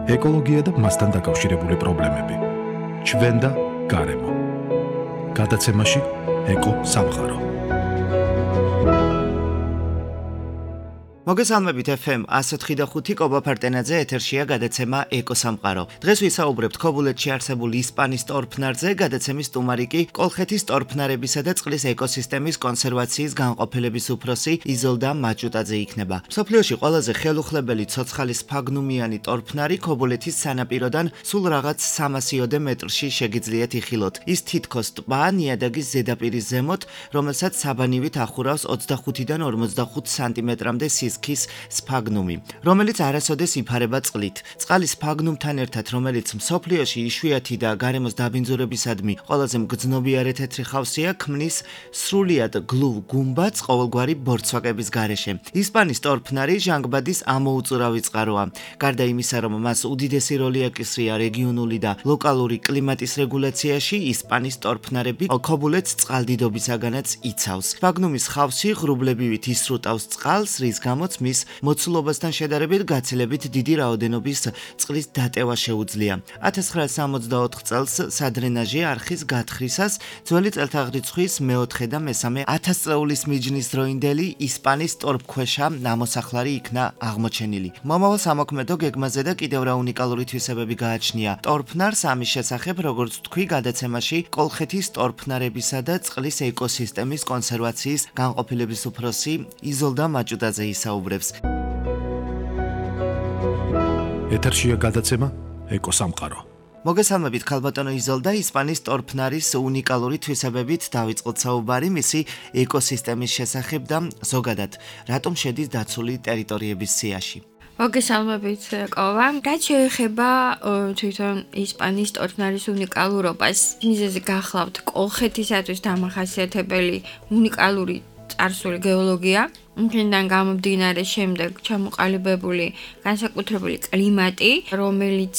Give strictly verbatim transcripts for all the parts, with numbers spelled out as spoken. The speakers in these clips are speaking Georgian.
ეკოლოგია და მასთან დაკავშირებული პრობლემები. ჩვენ და გარემო. გადაცემაში ეკო სამყარო. მოგესალმებით ეფ ემ one oh five point five კობა ფარტენაძე ეთერშია გადაცემა ეკო სამყარო. დღეს ვისაუბრებთ ქობულეთში არსებული ისპანის ტორფნარზე, გადაცემის სტუმარი კი კოლხეთის ტორფნარებისა და წყლის ეკოსისტემის კონსერვაციის განყოფილების უფროსი იზოლდა მაჭუტაძე იქნება. მსოფლიოში ყველაზე ხელუხლებელი ცოცხალი სფაგნუმიანი ტორფნარი ქობულეთის სანაპიროდან სულ რაღაც სამასიოდე მეტრში შეგიძლიათ იხილოთ. ის თითქოს ტბა ნიადაგის ზედაპირის ზემოთ, რომელსაც საბანივით ახურავს ოცდახუთიდან ორმოცდახუთ სანტიმეტრამდე სის ქის სფაგნუმი, რომელიც არასოდეს იფარება წყლით. წყალი სფაგნუმთან ერთად, რომელიც მსოფლიოში იშვიათი და გარემოს დაბინძურებისადმი ყველაზე მგრძნობიარე თეთრი ხავსია, ქმნის სრულიად გლუვ გუმბათს ყოველგვარი ბორცვაკების გარეშე. ისპანის ტორფნარი ჟანგბადის ამოუწურავი წყაროა. გარდა იმისა, რომ მას უდიდესი როლი აკისრია რეგიონული და ლოკალური კლიმატის რეგულაციაში, ისპანის ტორფნარები ქობულეთს წყალდიდობისაგანაც იცავს. სფაგნუმის ხავსი ღრუბლებივით ისრუტავს წყალს, რის გამო მის მოცულობასთან შედარებით გაცილებით დიდი რაოდენობის წყლის დატევა შეუძლია. ათას ცხრაასი სამოცდაოთხ წელს სადრენაჟი არხის გათხრისას ძველი წელთაღრიცხვის მეოთხე და მესამე ათასწლეულის მიჯნის დროინდელი ისპანის ტორფქვეშა ნამოსახლარი იქნა აღმოჩენილი. მომავალ სამოქმედო გეგმაზე და კიდევ რა უნიკალური თვისებები გააჩნია ტორფნარს, ამის შესახებ, როგორც თქვი, გადაცემაში კოლხეთის ტორფნარებისა და წყლის ეკოსისტემის კონსერვაციის განყოფილების უფროსი იზოლდა მაჭუტაძე ისაუბრებს. ეთერშია გადაცემა ეკო სამყარო. მოგესალმებით ქალბატონო იზოლდა, ისპანის ტორფნარის უნიკალური თვისებებით დავიწყოთ საუბარი მისი ეკოსისტემის შესახებ და ზოგადად რატომ შედის დაცული ტერიტორიების სიაში. მოგესალმებით კოვა. რაც შეეხება თვითონ ისპანის ტორფნარის უნიკალურობას, მიზეზი გახლავთ კოლხეთისათვის დამახასიათებელი უნიკალური წარსული გეოლოგია, იქიდან გამომდინარე შემდეგ ჩამოყალიბებული განსაკუთრებული კლიმატი, რომელიც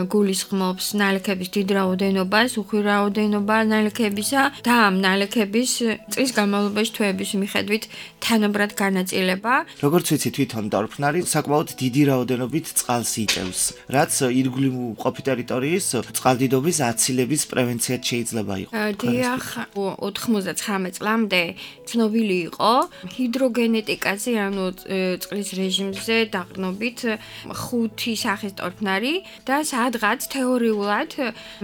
გულისხმობს ნალექების დიდ რაოდენობას, უხვი რაოდენობა ნალექებისა და ამ ნალექების წლის განმავლობაში თვეების მიხედვით თანაბრად განაწილება. როგორც ვიცი, თვითონ ტორფნარი საკმაოდ დიდი რაოდენობით წყალს იტევს, რაც ირგვლივ მყოფი ტერიტორიის წყალდიდობის აცილების პრევენციად შეიძლება იყოს. დიახ, ოთხმოცდაცხრამეტ წლამდე ცნობილი იყო ჰიდროგენ გენეტიკაზე, ანუ წყლის რეჟიმზე დაყრდნობით ხუთი სახის ტორფნარი და სადღაც თეორიულად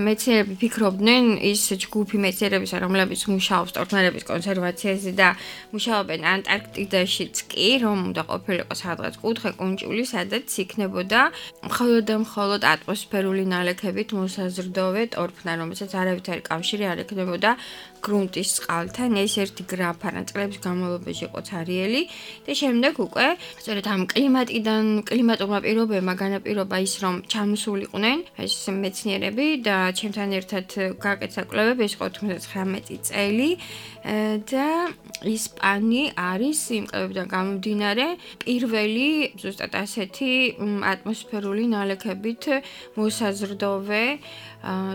მეცნიერები ფიქრობდნენ, ის ჯგუფი მეცნიერებისა, რომლებიც მუშაობს ტორფნარების კონსერვაციაზე და მუშაობენ ანტარქტიდაშიც კი, რომ უნდა ყოფილიყო სადღაც კუთხე კუნჭული, სადაც იქნებოდა მხოლოდ და მხოლოდ ატმოსფერული ნალექებით მოსაზრდოვე ტორფნარი, რომელსაც არავითარი კავშირი არ ექნებოდა გრუნტის წყალთან. ეს ერთი გრაფა წლების განმავლობაში იყო ცარიელი და შემდეგ უკვე სწორედ ამ კლიმატიდან კლიმატურმა პირობებმა განაპირობა ის, რომ ჩამოსულიყვნენ ეს მეცნიერები და ჩემთან ერთად გაკეთა კვლევები, ეს ოთხმოცდაცხრამეტი წელი და ისპანი არის იმ კვლევებიდან გამომდინარე პირველი ზუსტად ასეთი ატმოსფერული ნალექებით მოსაზრდოვე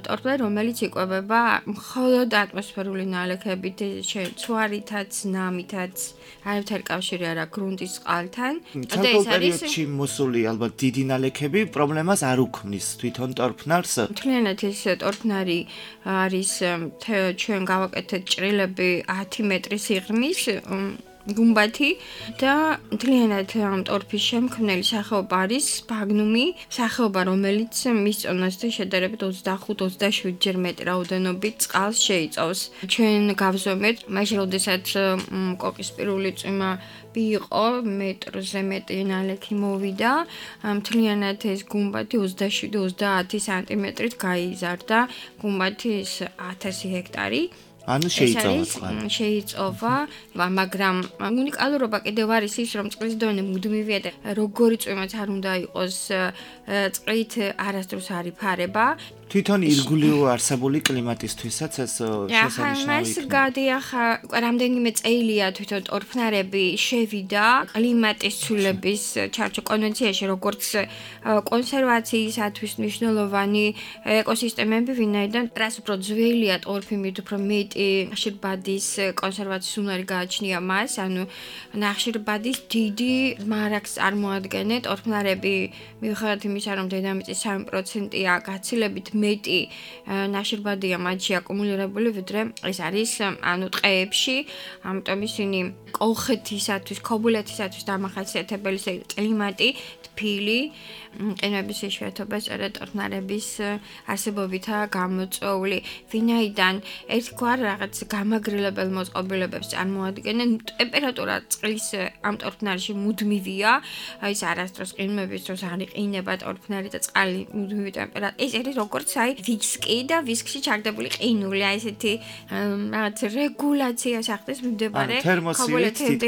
ტორფნარი, რომელიც იკვებება მხოლოდ ატმოსფერული ნალექებით, ცვარითაც, ნამითაც, არავითარი კავშირი არ აქვს გრუნტის წყალთან. და ეს არის მოსული ალბათ დიდი ნალექები პრობლემას არ უქმნის თვითონ ტორფნარს. მთლიანად ეს ტორფნარი არის ჩვენ გავაკეთეთ ჭრილები ათი მეტრი სიღრმის გუმბათი და მთლიანად ამ ტორფის შემქმნელი სახეობა არის სფაგნუმი, სახეობა, რომელიც მის წონასთან შედარებით ოცდახუთ ოცდაშვიდ ჯერ მეტი რაოდენობით წყალს შეიწოვს. ჩვენ გავზომეთ, მაშინ როდესაც კოკისპირული წვიმა იყო, მეტრზე მეტი ნალექი მოვიდა, მთლიანად ეს გუმბათი ოცდაშვიდ ოცდაათი სანტიმეტრით გაიზარდა, გუმბათის ათასი ჰექტარი. ანუ შეიწოვა წყალი. შეიწოვა, მაგრამ უნიკალურობა კიდევ არის ის, რომ წყლის დონე მუდმივია და როგორი წვიმაც არ უნდა იყოს, წყლით არასდროს არ იფარება. თვითონ ირგვლივ არსებული კლიმატისთვისაც ეს შესანიშნავი იქნება. გადიახა, რამდენიმე წელია თვითონ ტორფნარები შევიდა კლიმატის ცვლილების ჩარჩო კონვენციაში, როგორც კონსერვაციისათვის მნიშვნელოვანი ეკოსისტემები, ვინაიდან რას უფრო ძველია ტორფი, მით უფრო მეტი მეტი ნახშირბადის კონსერვაციის უნარი გააჩნია მას, ანუ ნახშირბადის დიდი მარაგს წარმოადგენენ ტორფნარები, მიუხედავად იმისა, რომ დედამიწის სამი პროცენტია გაცილებით მეტი ნახშირბადია მათში აკუმულირებული, ვიდრე ეს არის ანუ ტყეებში, ამიტომ ისინი კოლხეთისათვის, ქობულეთისათვის დამახასიათებელი კლიმატი, თბილი, ყინვების იშვიათობა სწორედ ტორფნარების არსებობითაა გამოწვეული. ვინაიდან ერთგვარ რაღაც გამაგრილებელ მოწყობილებებს წარმოადგენენ, ტემპერატურა წყლის ამ ტორფნარში მუდმივია, ის არასდროს ყინვების დროს არ იყინება ტორფნარი და წყალი მუდმივი ტემპერატურა. ეს არის როგორც აი ვისკი და ვისკში ჩაგდებული ყინული, აი ესეთი რაღაც რეგულაციას ახდენს მიმდებარე ქობულეთამდე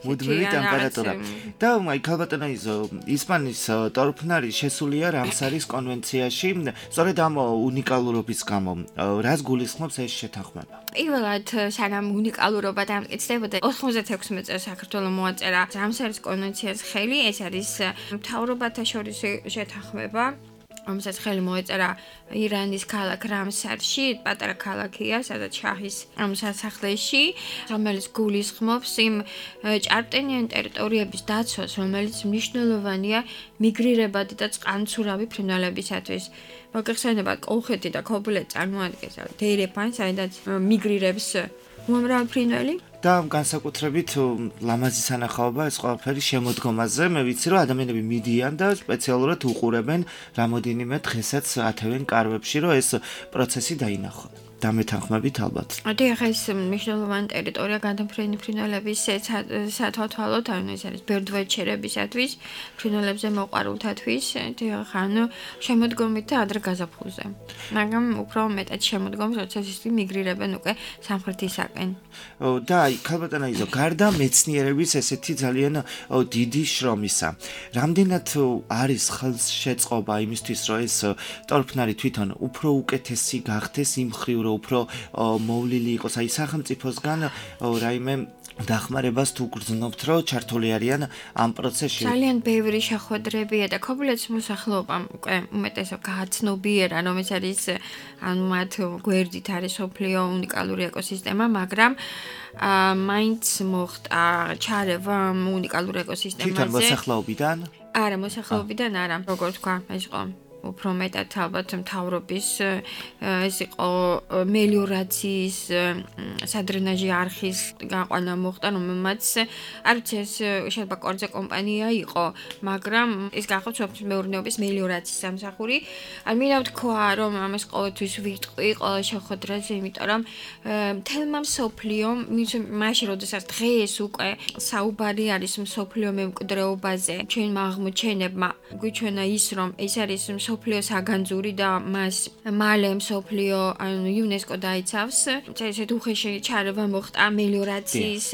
მუდმივი ტემპერატურა. და აი ქალბატონო იზო ისპანის ტორფნარი შესულია რამსარის კონვენციაში, სწორედ ამ უნიკალურობის გამო, რას გულისხმობს ეს შეთანხმება? პირველად, სანამ უნიკალურობა დამტკიცდებოდა, ოთხმოცდათექვსმეტ წელს საქართველოს მოაწერა რამსარის კონვენციას ხელი, ეს არის მთავრობათა შორის შეთანხმება. რომელსაც ხელი მოეწერა ირანის ქალაქ რამსარში, პატარა ქალაქია, სადაც შაჰის სასახლეში, რომელიც გულისხმობს იმ ჭარბტენიან ტერიტორიების დაცვას, რომელიც მნიშვნელოვანია მიგრირებადი და წყალმცურავი ფრინველებისათვის. მოგეხსენებათ, კოლხეთი და ქობულეთი წარმოადგენს დერეფანს, საიდანაც მიგრირებს უამრავი ფრინველი. და განსაკუთრებით ლამაზი სანახაობა ეს ყველაფერი შემოდგომაზე. მე ვიცი, რომ ადამიანები მიდიან და სპეციალურად უყურებენ რამოდენიმე დღესაც ათევენ კარვებში, რომ ეს პროცესი დაინახონ. დამეთანხმებით ალბათ. ადი ახლა ეს მნიშვნელოვანი ტერიტორია გადამფრენი ფრინველების სათვალთვალოდ, ანუ ეს არის ბერდვაჩერებისათვის, ფრინველებზე მოყვარულთათვის, ახლა ანუ შემოდგომით და ადრე გაზაფხულზე. მაგრამ უფრო მეტად შემოდგომს, როცა ისინი მიგრირებენ უკვე სამხრეთისაკენ. და აი, ქალბატონო იზო, გარდა მეცნიერების ესეთი ძალიან დიდი შრომისა, რამდენად არის ხელშეწყობა იმისთვის, რომ ეს ტორფნარი თვითონ უფრო უკეთესი გახდეს იმ მხრივ, რომ უფრო მოვლილი იყოს, აი სახელმწიფოსგან რაიმე დახმარებას თუ გრძნობთ, რომ ჩართული არიან ამ პროცესში? ძალიან ბევრი შეხვედრებია და ქობულეთის მოსახლეობამ უკვე უმეტესად გააცნობიერა, რომ ეს არის ანუ მათ გვერდით არის სოფლიო უნიკალური ეკოსისტემა, მაგრამ მაინც მოხდა ჩარევა უნიკალურ ეკოსისტემაზე. თვითონ მოსახლეობიდან? არა, მოსახლეობიდან არა, როგორ თქვა, ეს იყო უფრო მეტად ალბათ მთავრობის ეს იყო მელიორაციის სადრენაჟი არხის გაყვანა მოხდა, რომელმაც არ ვიცი ეს შეიძლება კორძე კომპანია იყო, მაგრამ ეს გახდა სოფლის მეურნეობის მელიორაციის სამსახური. ან მინდა ვთქვა, რომ ამას ყოველთვის ვიტყვი ყველა შეხვედრაზე, იმიტომ რომ მთელმა მსოფლიომ, მაშინ როდესაც დღეს უკვე საუბარი არის მსოფლიო მემკვიდრეობაზე, ჩვენმა აღმოჩენებმა გვიჩვენა ის, რომ ეს არის მსოფლიო საგანძური და მას მალე მსოფლიო ანუ იუნესკო დაიცავს. ესეთი უხეში ჩარევა მოხდა მელიორაციის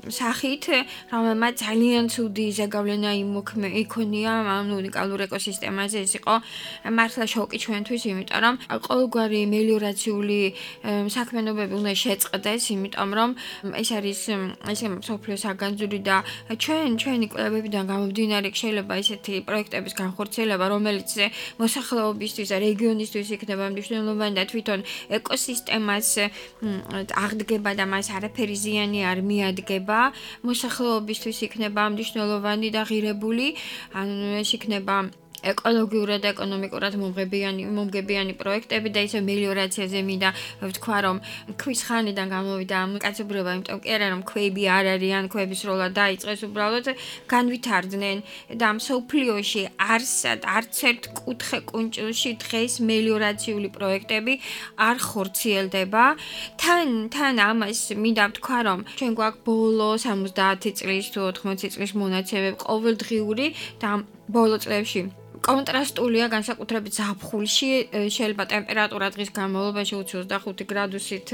სახით, რომელმაც ძალიან ცუდი ზეგავლენა იქონია ამ უნიკალურ ეკოსისტემაზე. ეს იყო მართლა შოკი ჩვენთვის, იმიტომ რომ ყოველგვარი მელიორაციული საქმიანობები უნდა შეწყდეს, იმიტომ რომ ეს არის ეს მსოფლიო საგანძური და ჩვენ ჩვენი კვლევებიდან გამომდინარე შეიძლება ესეთი პროექტების განხორციელება, რომელიც მოსახლეობისთვის და რეგიონისთვის იქნება მნიშვნელოვანი და თვითონ ეკოსისტემას აღდგება და მას არაფერი ზიანი არ მიადგება, მოსახლეობისთვის იქნება მნიშვნელოვანი და ღირებული, ანუ ეს იქნება ეკოლოგიურად და ეკონომიკურად მომღებიანი მომგებიანი პროექტები და ისე მელიორაციაზე მინდა ვთქვა, რომ ქვის ხანიდან გამოვიდა ამ კაცობრიობა, იმიტომ კი არა რომ ქვები არ არიან, ქვების როლა დაიწყეს, უბრალოდ განვითარდნენ და მსოფლიოში არსად არც ერთ კუთხე კუნჭილში დღეს მელიორაციული პროექტები არ ხორციელდება. თან თან ამას მინდა ვთქვა, რომ ჩვენ გვაქვს ბოლო სამოცდაათი წლის თუ ოთხმოცი წლის მონაცემები ყოველდღიური და ბოლო წლებში კონტრასტულია განსაკუთრებით ზაფხულში, შეიძლება ტემპერატურა დღის განმავლობაში ოცდახუთი გრადუსით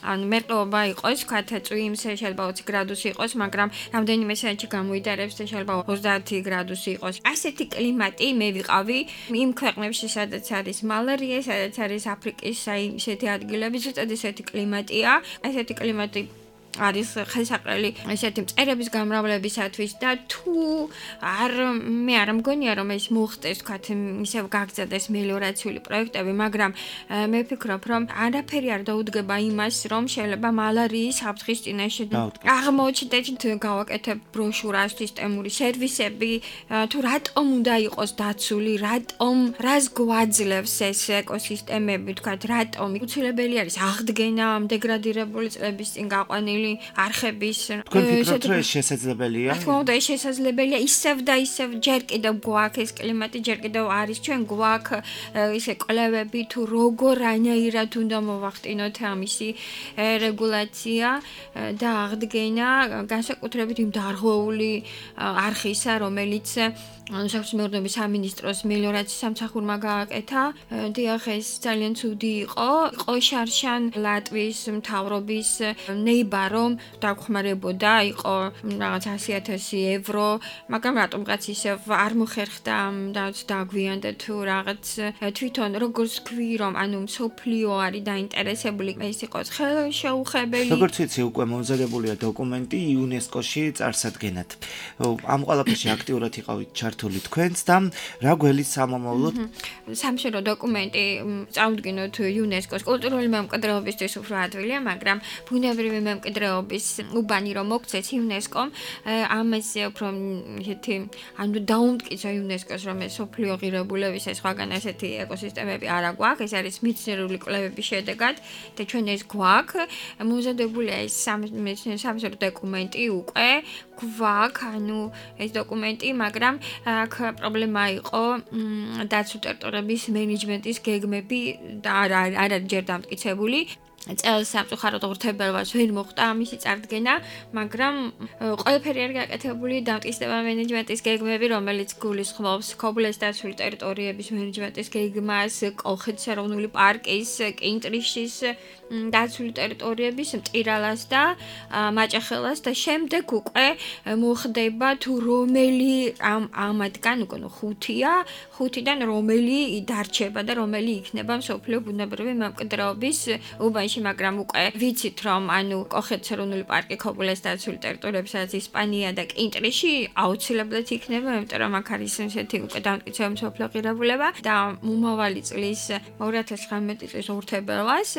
ანუ მერყეობა იყოს, ვთქვათ, წვიმს შეიძლება ოცი გრადუსი იყოს, მაგრამ რამდენიმე საათში გამოიდარებს და შეიძლება ოცდაათი გრადუსი იყოს. ასეთი კლიმატი მე ვიყავი იმ ქვეყნებში, სადაც არის მალარია, სადაც არის აფრიკის აი ესეთი ადგილები, ზუსტად ესეთი კლიმატია. ასეთი კლიმატი არის ხელსაყრელი ესეთი მწერების გამრავლებისათვის და თუ არ მე არ მგონია რომ ეს მოხდეს თქვათ ისევ გაგრძელდეს მელიორაციული პროექტები, მაგრამ მე ვფიქრობ რომ არაფერი არ დაუდგება იმას რომ შეიძლება მალარიის საფრთხის წინაშე აღმოჩნდეთ გავაკეთებ ბროშურას სისტემური სერვისები თუ რატომ უნდა იყოს დაცული, რატომ რას გვაძლევს ეს ეკოსისტემები, თქვათ რატომ უცილებელი არის აღდგენა ამ დეგრადირებული წლების წინ გაყვანილი არხების თქვენ ფიქრობთ რომ ეს შესაძლებელია? რა თქმა უნდა ეს შესაძლებელია ისევ და ისევ ჯერ კიდევ გვაქვს ეს კლიმატი ჯერ კიდევ არის ჩვენ გვაქვს ისე კვლევები თუ როგორ რანაირად უნდა მოვახტინოთ ამისი რეგულაცია და აღდგენა განსაკუთრებით იმ დარღვეული არხისა რომელიც საქმიანობის სამინისტროს მელიორაციის სამსახურმა გააკეთა. დიახ ეს ძალიან ცუდი იყო. იყო შარშან ლატვიის მთავრობის ნეიბა რომ დაგხმარებოდა, იყო რაღაც ასი ათასი ევრო, მაგრამ რატომღაც ისევ არ მოხერხდა და დაგვიანდა თუ რაღაც თვითონ როგორც ქვი რომ ანუ მსოფლიო არის დაინტერესებული ეს იყოს ხელშეუხებელი. როგორც ვიცი უკვე მომზადებულია დოკუმენტი იუნესკოში წარსადგენად. ამ ყველაფერში აქტიურად იყავით ჩართული თქვენც და რა გველის სამომავლოდ სამშობლო დოკუმენტი წავდგინოთ იუნესკოს კულტურული მემკვიდრეობისთვის უფრო ადვილია, მაგრამ ბუნებრივი მემკვიდრეობის უბანი რომ მოგცეს იუნესკომ ამაზე უფრო ისეთი ანუ დაუმტკიცა იუნესკოს რომ ეს სოფლიო ღირებულების ეს სხვაგან ესეთი ეკოსისტემები არა გვაქვს, ეს არის მეცნიერული კვლევების შედეგად და ჩვენ ეს გვაქვს მომზადებულია ეს სამშობლო დოკუმენტი უკვე გვაქვს, ანუ ეს დოკუმენტი, მაგრამ აქ პრობლემა იყო დაცულ ტერიტორიების მენეჯმენტის გეგმები და არ არის ჯერ დამტკიცებული. წელს სამწუხაროდ ღირებულებას ვერ მოხდა ამისი წარდგენა, მაგრამ ყველაფერი არის გაკეთებული დამტკიცდება მენეჯმენტის გეგმები, რომელიც გულისხმობს ქობულეს დაცული ტერიტორიების მენეჯმენტის გეგმას, კოლხეთის ეროვნული პარკის, კინტრიშის დაცული ტერიტორიების, მტირალას და მაჭახელას და შემდეგ უკვე მოხდება თუ რომელი ამ ამათგან უკვე ხუთია, ხუთიდან რომელი დარჩება და რომელი იქნება მსოფლიო ბუნებრივი მემკვიდრეობის უბანში, მაგრამ უკვე ვიცით რომ ანუ კოლხეთის ეროვნული პარკი, ქობულეს დაცული ტერიტორიები, სადაც ისპანია და კინტრიში აუცილებლად იქნება, იმიტომ რომ აქ არის ესეთი უკვე დამტკიცებული მსოფლიო ღირებულება და მომავალი წლის ორი ათას ცხრამეტი წლის ორთებერლას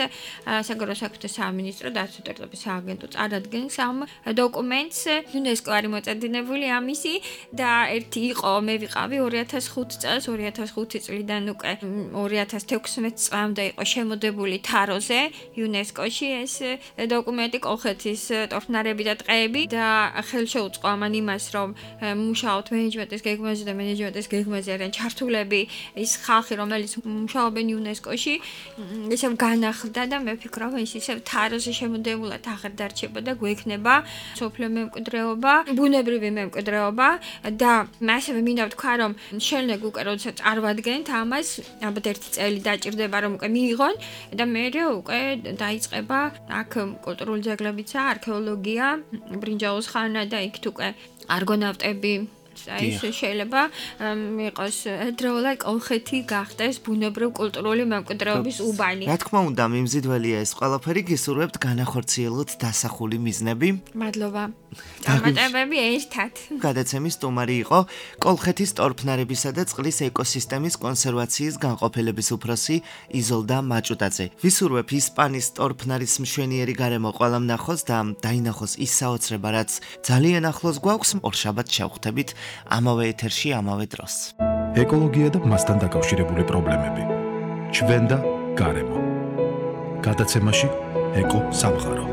საგარეო საქმეთა სამინისტრო დაცული ტერიტორიების სააგენტო წარადგენს ამ დოკუმენტს. იუნესკო არის მოწედინებული ამისი და ერთი იყო მე ვიყავი ორი ათას ხუთი წელს, ორი ათას ხუთი წლიდან უკვე ორი ათას თექვსმეტ წლამდე იყო შემოდებული თაროზე იუნესკოში ეს დოკუმენტი კოლხეთის ტორფნარები და ტყეები და ხელშეუწყო ამან იმას რომ მუშაობთ მენეჯმენტის გეგმაზე და მენეჯმენტის გეგმაზე არიან ჩართულები ის ხალხი რომელიც მუშაობენ იუნესკოში ისევ განახლდა და მე ვფიქრობ ის ისევ თაროზე შემოდებულად აღარ დარჩება და გვექნება სოფლიო მემკვიდრეობა, ბუნებრივი მემკვიდრეობა და მასევე მინდა ვთქვა რომ შენლეგ უკვე როდესაც წარვადგენთ ამას ალბათ ერთი წელი დაჭირდება რომ უკვე მიიღონ და მე უკვე დაიწყება აქ კულტურული ძეგლებიცა, არქეოლოგია, ბრინჯაოს ხანა და იქ უკვე არგონავტები ეს შეიძლება იყოს დროულად კოლხეთი გახდეს ბუნებრივ კულტურული მემკვიდრეობის უბანი. რა თქმა უნდა, მიმზიდველია ეს ყველაფერი, გისურვებთ განახორციელოთ დასახული მიზნები. მადლობა. დამატებები ერთად. გადაცემის სტუმარი იყო კოლხეთის ტორფნარებისა და წყლის ეკოსისტემის კონსერვაციის განყოფილების უფროსი იზოლდა მაჭუტაძე. ვისურვებ ისპანის ტორფნარის მშვენიერი გარემო ყველამ ნახოს და დაინახოს ის საოცრება, რაც ძალიან ახლოს გვაქვს. ორშაბათს შევხვდებით ამავე ეთერში, ამავე დროს. ეკოლოგია და მასთან დაკავშირებული პრობლემები. ჩვენ და გარემო. გადაცემაში ეკო სამყარო.